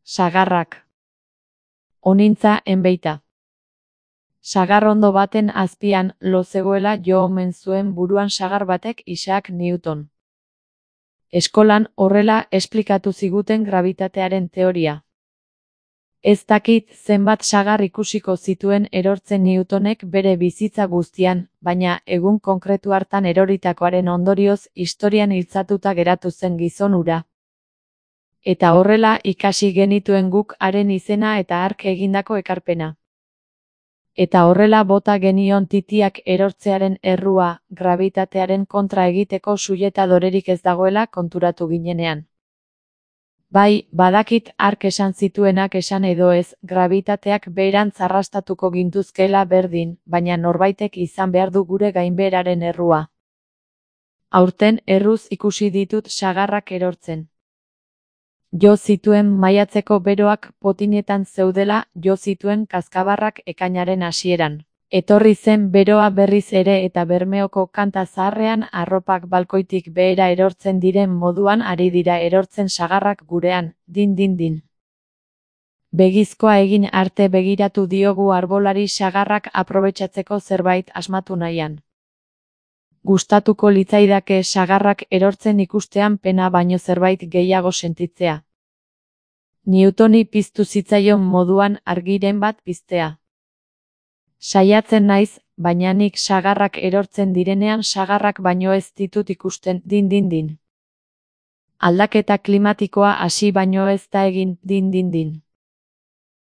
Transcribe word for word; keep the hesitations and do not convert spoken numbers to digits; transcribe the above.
Sagarrak. Onintza enbeita. Sagarrondo baten azpian lo zegoela jo omen zuen buruan sagar batek Isaac Newton. Eskolan horrela esplikatu ziguten grabitatearen teoria. Ez dakit zenbat sagar ikusiko zituen erortzen Newtonek bere bizitza guztian, baina egun konkretu hartan eroritakoaren ondorioz historian iltzatuta geratu zen gizon hura. Eta horrela ikasi genituen guk haren izena eta hark egindako ekarpena. Eta horrela bota genion titiak erortzearen errua, grabitatearen kontra egiteko suietadorerik ez dagoela konturatu ginenean. Bai, badakit hark esan zituenak esan edo ez, grabitateak beherantz arrastatuko gintuzkela berdin, baina norbaitek izan behar du gure gainbeheraren errua. Aurten erruz ikusi ditut sagarrak erortzen. Jo zituen maiatzeko beroak potinetan zeudela, jo zituen kazkabarrak ekainaren hasieran. Etorri zen beroa berriz ere eta Bermeoko kanta zaharrean arropak balkoitik behera erortzen diren moduan ari dira erortzen sagarrak gurean, din din din. Begizkoa egin arte begiratu diogu arbolari sagarrak aprobetxatzeko zerbait asmatu nahian. Gustatuko litzaidake sagarrak erortzen ikustean pena baino zerbait gehiago sentitzea. Newtoni piztu zitzaion moduan argiren bat piztea. Saiatzen naiz, baina nik sagarrak erortzen direnean sagarrak baino ez ditut ikusten, din din din. Aldaketa klimatikoa hasi baino ez da egin, din din din.